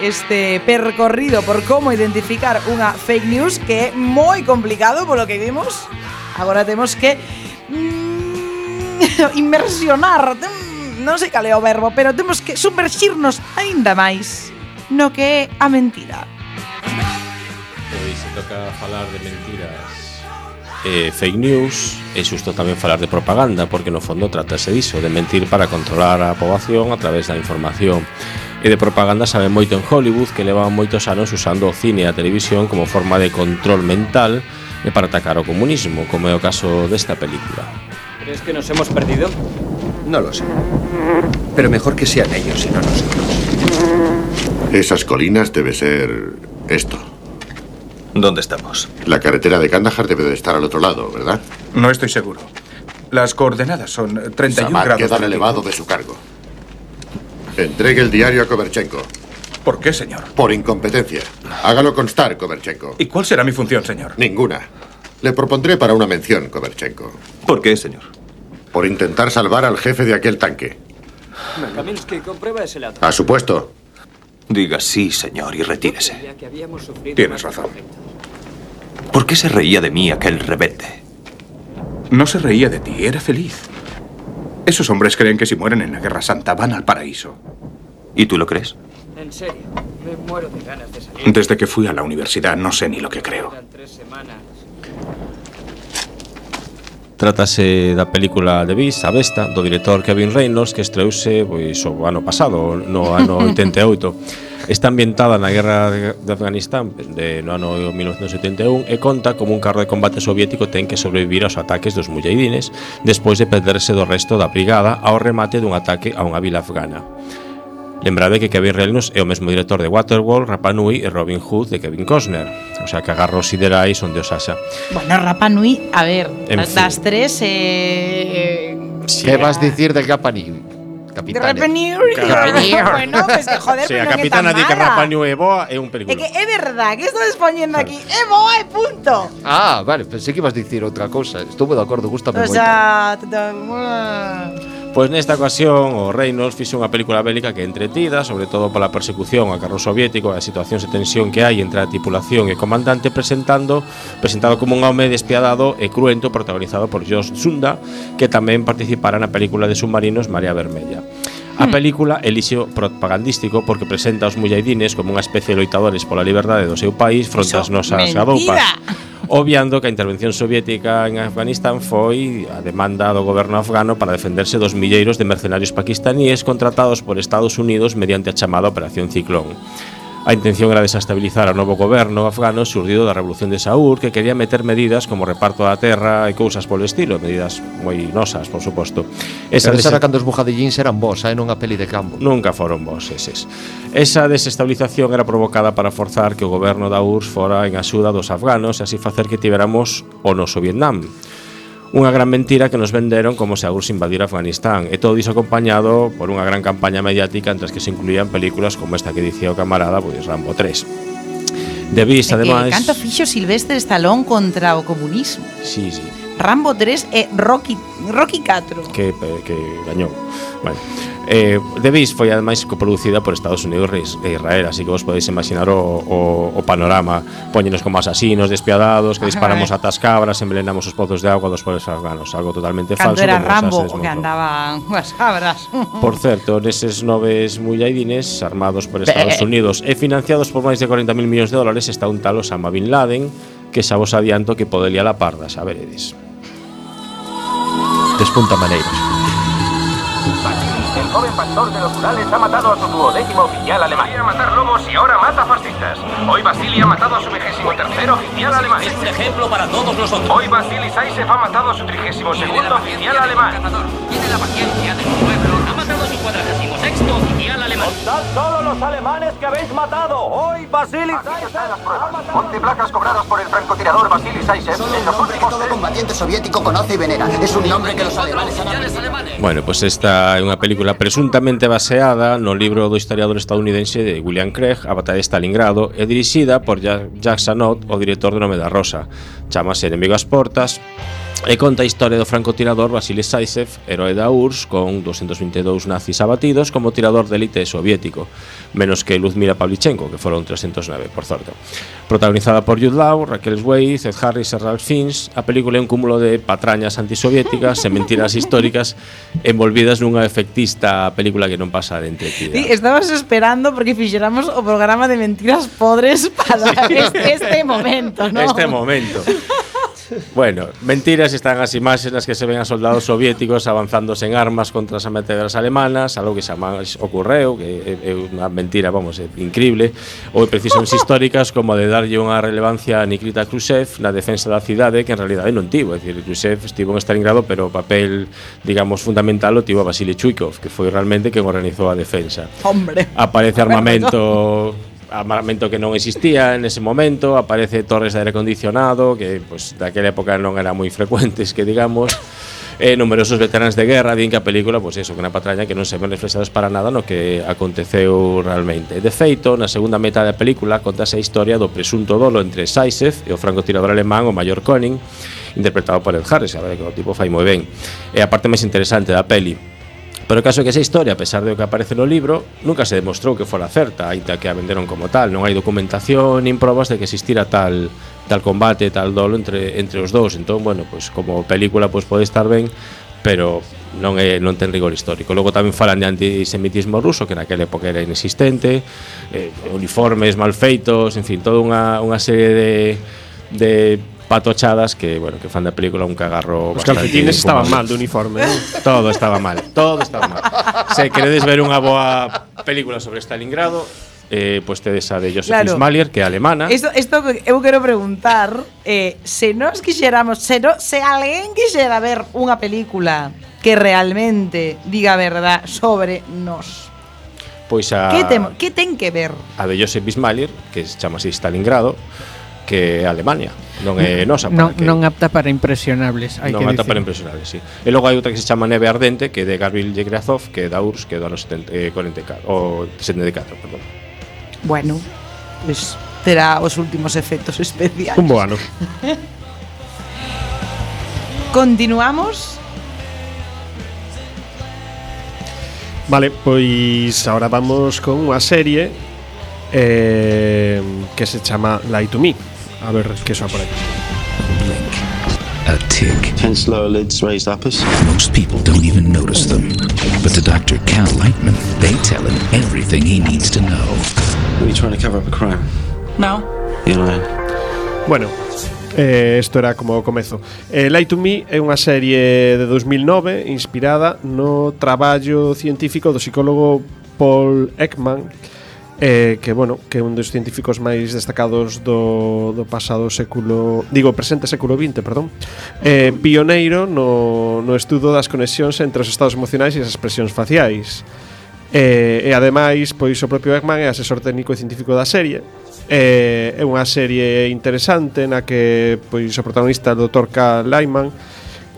Este percorrido por como identificar unha fake news, que é moi complicado polo que vimos. Agora temos que mm, inmersionar, non sei cal é o verbo, pero temos que sumerxirnos aínda máis no que é a mentira. Pois se toca falar de mentiras e fake news, é xusto tamén falar de propaganda, porque no fondo trátase diso, de mentir para controlar a poboación a través da información. E de propaganda sabe moito en Hollywood, que levan moitos anos usando o cine e a televisión como forma de control mental e para atacar o comunismo, como é o caso desta película. ¿Crees que nos hemos perdido? No lo sé. Pero mejor que sean ellos y no nosotros. Esas colinas debe ser esto. ¿Dónde estamos? La carretera de Kandahar debe de estar al otro lado, ¿verdad? No estoy seguro. Las coordenadas son treinta y uno Samad grados. queda relevado de su cargo. Entregue el diario a Koverchenko. ¿Por qué, señor? Por incompetencia. Hágalo constar, Koverchenko. ¿Y cuál será mi función, señor? Ninguna. Le propondré para una mención, Koverchenko. ¿Por qué, señor? Por intentar salvar al jefe de aquel tanque. Kaminsky, comprueba ese lado. A su puesto. Diga sí, señor, y retírese. Ya que habíamos sufrido Tienes más razón. ¿Por qué se reía de mí aquel rebelde? No se reía de ti, era feliz. Esos hombres creen que si mueren en la Guerra Santa van al paraíso. ¿Y tú lo crees? En serio, me muero de ganas de salir. Desde que fui a la universidad no sé ni lo que creo. Quedan tres semanas. Trátase da película The Beast, A Besta, do director Kevin Reynolds, que estreouse pois, o ano pasado, no ano oitenta e oito. Está ambientada na guerra de Afganistán de, no ano mil novecentos setenta e un e conta como un carro de combate soviético ten que sobrevivir aos ataques dos mujahidines despois de perderse do resto da brigada ao remate dun ataque a unha vila afgana. Lembrade que Kevin Reynolds é o mesmo director de Waterworld, Rapa Nui e Robin Hood de Kevin Costner. O sea, que agarro siderais onde os haxa. Bueno, Rapa Nui, a ver, En das, das tres eh, Sí. ¿Qué vas a decir de Rapa Nui? Capitán. Rapa Nui. Bueno, pues que joder, Sí, pero a non é capitana tan di que mala. Rapa Nui é boa é un É película. que é verdad, que estades poñendo aquí. É boa e punto. Ah, vale, pensé que ibas a decir outra cousa. Estuve de acordo, gustame O moito. sea, t- t- Pois nesta ocasión o Reynolds fixo unha película bélica que é entretida, sobre todo pola persecución ao carro soviético e as situacións de tensión que hai entre a tripulación e o comandante, presentando presentado como un home despiadado e cruento protagonizado por Josh Sunda, que tamén participara na película de submarinos Marea Vermella. A película é lixo propagandístico porque presenta aos mujahidines como unha especie de loitadores pola liberdade do seu país fronte ás nosas mentira. garoupas. obviando que a intervención soviética en Afganistán foi a demanda do goberno afgano para defenderse dos milleiros de mercenarios paquistaníes contratados por Estados Unidos mediante a chamada Operación Ciclón. A intención era desestabilizar ao novo goberno afgano surdido da Revolución de Saúl, que quería meter medidas como reparto da terra e cousas polo estilo, medidas moi nosas, por suposto. Esa des... era cando os bujadillíns eran vos, eh, nunha peli de campo. Nunca foron vos eses. Esa desestabilización era provocada para forzar que o goberno da U R S S fora en axuda dos afganos e así facer que tiveramos o noso Vietnam. Unha gran mentira que nos venderon como se a U R S S invadira Afganistán, e todo iso acompañado por unha gran campaña mediática entre as que se incluían películas como esta que dicía o camarada, pois Rambo tres. De Beast, ademais... Canto fixo Sylvester Stallone contra o comunismo. Sí, sí. Rambo tres e Rocky Rocky catro. Que, que gañou. Bueno. Eh, The Beast foi ademais coproducida por Estados Unidos e Israel, así que vos podéis imaginar o, o, o panorama. Póñenos como asasinos despiadados que disparamos ata as cabras, envenenamos os pozos de agua dos pobres afganos, algo totalmente Cando falso. Cando era Rambo o que andaban as cabras. Por certo, neses noves mullaidines armados por Estados Unidos e financiados por máis de cuarenta mil millóns de dólares está un tal Osama Bin Laden, que xa vos adianto que podería la parda, xa veredes. Despunta maneiras. El joven pastor de los Urales ha matado a su duodécimo oficial alemán. Quería matar lobos y ahora mata fascistas. Hoy Vasily ha matado a su vigésimo tercer oficial alemán. Es un ejemplo para todos nosotros. Hoy Vasily Zaysev ha matado a su trigésimo segundo oficial alemán. Tiene la paciencia de su pueblo. Ha matado a su cuadragésimo sexto oficial alemán. ¡Contad solo los alemanes que habéis matado! Hoy Vasily Zaysev. Ponte placas cobradas por el francotirador Vasily Zaysev. Solo un nombre que todo combatiente soviético conoce y venera. Es un nombre que los alemanes han aprendido. Bueno, pues esta é unha película presuntamente baseada no libro do historiador estadounidense de William Craig, A batalla de Stalingrado, e dirixida por Jacques Sanot, o director de Nome da Rosa. Chámase Enemigo ás portas e conta a historia do francotirador Vasily Zaysev, heroe da U R S S, con doscientos veinte e dous nazis abatidos como tirador de élite soviético, menos que Luzmila Pavlichenko, que foron trescientos nove, por certo. Protagonizada por Jude Law, Raquel Weisz, Ed Harris e Ralph Fiennes, a película é un cúmulo de patrañas antisoviéticas e mentiras históricas envolvidas nunha efectista película que non pasa de entretida. Sí, estabas esperando porque fixéramos o programa de mentiras podres para sí. este, este momento, ¿no? Este momento. Bueno, mentiras están as imaxes nas que se ven a soldados soviéticos avanzándose en armas contra as ametralladoras alemanas, algo que xamais ocorreu, que é unha mentira, vamos, é increíble, ou precisións históricas como a de darlle unha relevancia a Nikita Khrushchev na defensa da cidade, que en realidade non tivo, é dicir, Khrushchev estivo en Stalingrado, pero o papel, digamos, fundamental o tivo a Vasily Chuikov, que foi realmente quen organizou a defensa. Hombre. Aparece armamento armamento que non existía en ese momento, aparece torres de aire acondicionado que pues, daquela época non eran moi frecuentes, que digamos, e numerosos veteranos de guerra din que a película, pois pues eso, que unha patraña que non se ven reflexados para nada no que aconteceu realmente. De feito, na segunda metade da película contase a historia do presunto dolo entre Zaysev e o francotirador alemán o Mayor Koenig, interpretado por Ed Harris, a ver que o tipo fai moi ben. É a parte máis interesante da peli. Pero o caso é que esa historia, a pesar de o que aparece no libro, nunca se demostrou que fora certa, aínda que a venderon como tal. Non hai documentación nin probas de que existira tal tal combate, tal dolo entre entre os dous. Entón, bueno, pues como película pues pode estar ben, pero non é non ten rigor histórico. Logo tamén falan de antisemitismo ruso, que naquela época era inexistente, eh, uniformes mal feitos, en fin, toda unha unha serie de de patochadas que, bueno, que fan da película un cagarro. Os calcetines estaban mal de uniforme, ¿no? Todo estaba mal, todo estaba mal. Se queredes ver unha boa película sobre Stalingrado, eh, pues tedes a de Joseph Claro. Ismalier, que é alemana. Isto, isto eu quero preguntar eh, se nos quixéramos se, no, se alguén quixera ver unha película que realmente diga a verdad sobre nos, Pois a que, temo, que ten que ver? a de Joseph Ismalier, que se chama así Stalingrado, que é Alemania, non é nosa, Non, que non apta para impresionables, hai non que apta dicir. para impresionables, sí. E logo hai outra que se chama Neve Ardente, que é de Gavril Yegrazov, que é da U R S S, que é do ano setenta, eh, cuarenta e catro, o setenta e catro, perdón. Bueno, pues terá os últimos efectos especiais. Un bo ano. Continuamos. Vale, pois ahora vamos con unha serie eh, que se chama Lie to Me. A ver que soa por aí. A tick. Tense lower lids, raised uppers. Most people don't even notice them. But to Doctor Cal Lightman, they tell him everything he needs to know. Are you trying to cover up a crime? No. You're lying. Bueno, Eh, isto era como o comezo. eh, Lie to Me é unha serie de dos mil nove inspirada no traballo científico do psicólogo Paul Ekman, eh, que, bueno, que é un dos científicos máis destacados do, do pasado século, digo, presente século vinte, perdón, eh, pioneiro no, no estudo das conexións entre os estados emocionais e as expresións faciais. eh, E ademais, pois o propio Ekman é asesor técnico e científico da serie. Eh, é unha serie interesante na que pois o protagonista, o doutor Cal Lyman,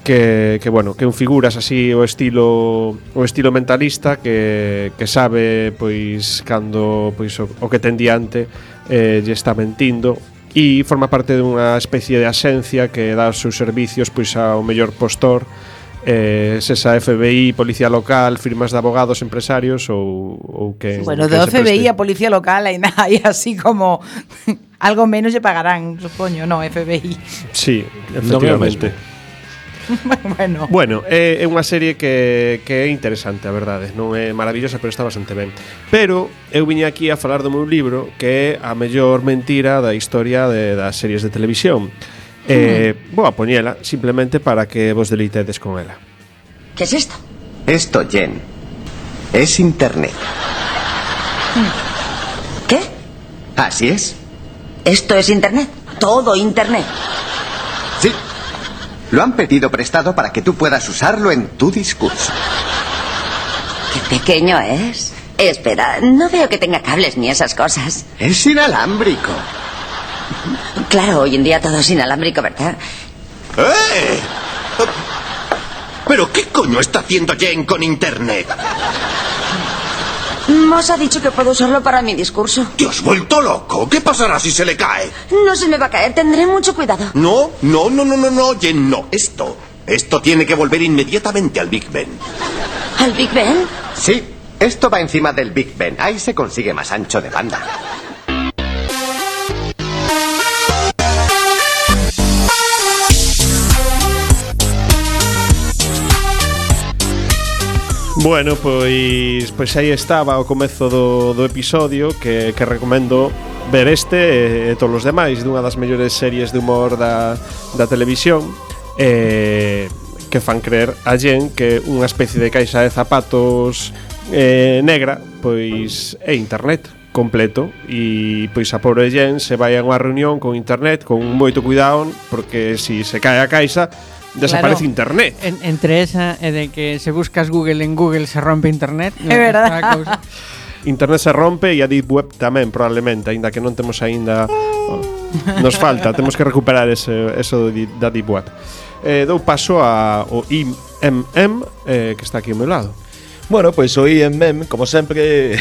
que, que bueno, que un figuras así o estilo o estilo mentalista que, que sabe pois cando pois o, o que ten diante eh, lle está mentindo, e forma parte dunha especie de axencia que dá os seus servicios pois ao mellor postor, eh, sesa F B I, policía local, firmas de abogados, empresarios ou, ou que Bueno, que do se F B I preste. a Policía Local hai, hai así como algo menos lle pagarán, supoño, no, F B I. Sí, efectivamente. Bueno, Bueno, é, é unha serie que, que é interesante, a verdade. Non é maravillosa, pero está bastante ben. Pero eu viña aquí a falar do meu libro, que é a mellor mentira da historia de, das series de televisión. Eh, vou a poñela simplemente para que vos deleitedes con ela. ¿Qué es esto? Esto, Jen, es Internet. ¿Qué? Así es. ¿Esto es Internet? Todo Internet. Sí. Lo han pedido prestado para que tú puedas usarlo en tu discurso. Qué pequeño es. Espera, no veo que tenga cables ni esas cosas. Es inalámbrico. Claro, hoy en día todo es inalámbrico, ¿verdad? ¡Eh! ¿Pero qué coño está haciendo Jen con Internet? Moss ha dicho que puedo usarlo para mi discurso. ¿Te has vuelto loco? ¿Qué pasará si se le cae? No se me va a caer, tendré mucho cuidado. No, no, no, no, no, no, Jen, no. Esto, esto tiene que volver inmediatamente al Big Ben. ¿Al Big Ben? Sí, esto va encima del Big Ben. Ahí se consigue más ancho de banda. Bueno, pois pois aí estaba o comezo do, do episodio que, que recomendo ver este e, e todos os demais dunha das mellores series de humor da, da televisión, eh, que fan creer a Jen que unha especie de caixa de zapatos eh, negra pois é internet completo, e pois a pobre Jen se vai a unha reunión con internet con moito cuidado, porque si se cae a caixa desaparece Claro. internet. En, entre esa e de que se buscas Google en Google se rompe internet. É verdad. Internet se rompe e a Deep Web tamén, probablemente, aínda que non temos aínda oh, nos falta, temos que recuperar ese, eso da Deep Web. Eh, dou paso a o I M M, eh, que está aquí ao meu lado. Bueno, pois o I M M, como sempre,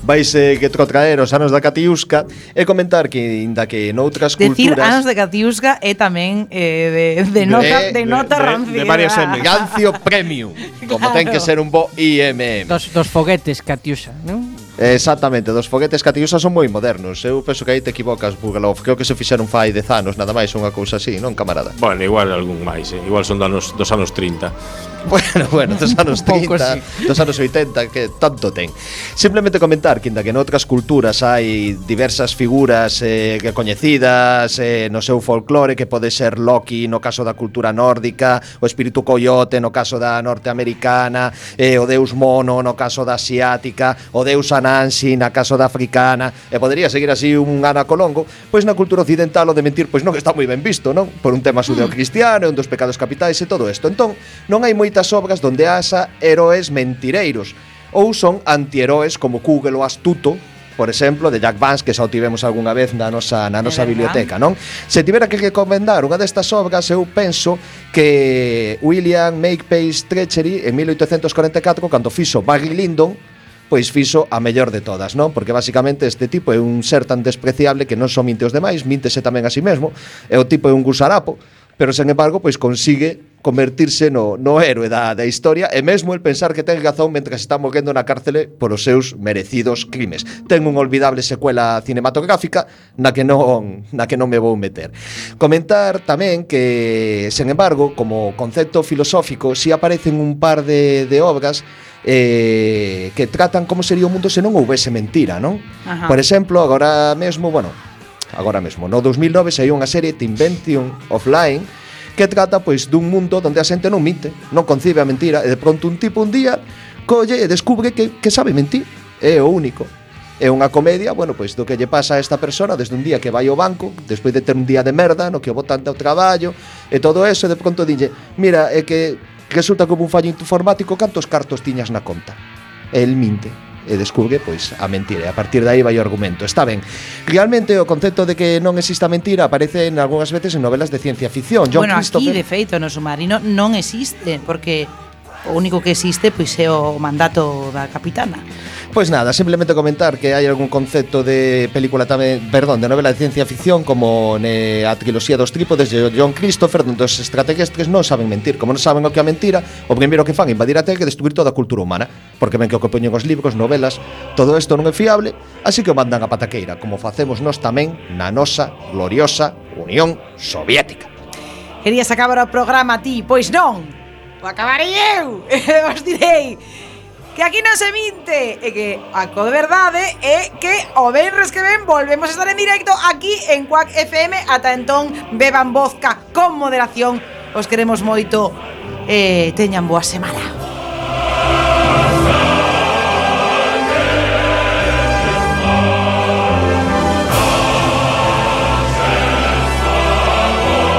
vaise que trotraer os anos da Catiusca e comentar que, inda que noutras decir culturas... anos de Catiusca é tamén eh, de, de nota, de, de nota de, rancida. de varias M. Gancio Premium, como Claro. ten que ser un bo I M M. Dos, dos foguetes Catiusa, non? Exactamente, dos foguetes Catiusa son moi modernos. Eu penso que aí te equivocas, Bugalov. Creo que se fixeron fai dez anos, nada máis, unha cousa así, non, camarada? Bueno, igual algún máis, eh? Igual son dos anos, dos anos trinta. Bueno, bueno, dos anos trinta, dos anos oitenta, que tanto ten. Simplemente comentar que, inda que noutras culturas hai diversas figuras eh, que coñecidas eh, no seu folclore, que pode ser Loki no caso da cultura nórdica, o espírito coyote no caso da norteamericana, eh, o deus mono no caso da asiática, o deus Anansi na caso da africana, e podría seguir así un anacolongo, pois na cultura occidental o de mentir pois non está moi ben visto, non? Por un tema judeocristiano, un dos pecados capitais e todo isto. Entón, non hai moitas obras donde haxa heróis mentireiros, ou son antiheróis como Kugel o Astuto, por exemplo, de Jack Vance, que xa o tivemos algunha vez na nosa, na nosa biblioteca, non? Se tivera que recomendar unha destas obras, eu penso que William Makepeace Treachery en mil oitocentos corenta e catro, cando fixo Barry Lyndon, pois fixo a mellor de todas, non? Porque basicamente este tipo é un ser tan despreciable que non só minte os demais, míntese tamén a si mesmo, e o tipo é un gusarapo, pero sen embargo, pois consigue convertirse no, no héroe da, da historia, e mesmo el pensar que ten razón mentre está morrendo na cárcele por os seus merecidos crimes. Ten unha olvidable secuela cinematográfica na que non, na que non me vou meter. Comentar tamén que, sen embargo, como concepto filosófico, si aparecen un par de, de obras eh, que tratan como sería o mundo se non houvese mentira, non? Ajá. Por exemplo, agora mesmo, bueno, agora mesmo. No dos mil nove saiu unha serie The Invention of Lying que trata pois dun mundo onde a xente non minte, non concibe a mentira, e de pronto un tipo un día colle e descubre que, que sabe mentir, é o único. É unha comedia, bueno, pois do que lle pasa a esta persona desde un día que vai ao banco, despois de ter un día de merda, no que o botan ao traballo, e todo eso, e de pronto dille, mira, é que resulta como un fallo informático, cantos cartos tiñas na conta? E el minte, e descubre, pois, a mentira, e a partir de aí vai o argumento. Está ben. Realmente, o concepto de que non exista mentira aparece en algunhas veces en novelas de ciencia ficción. John bueno, Christopher... aquí, de feito, no submarino non existe, porque o único que existe pois é o mandato da capitana. Pois nada, simplemente comentar que hai algún concepto de película tamén, perdón, de novela de ciencia ficción como ne a triloxía dos trípodes de John Christopher, onde os extraterrestres non saben mentir. Como non saben o que é a mentira, o primeiro que fan é invadir a Terra e destruir toda a cultura humana, porque ven que o que poñen os libros, novelas, todo isto non é fiable, así que o mandan a pataqueira, como facemos nós tamén na nosa gloriosa Unión Soviética. Querías acabar o programa ti? Pois non, o acabarei eu. Os direi que aquí non se minte, e que a co de verdade é que o venres que ven volvemos a estar en directo aquí en Quack F M. Ata entón, beban vodka con moderación. Os queremos moito e teñan boa semana.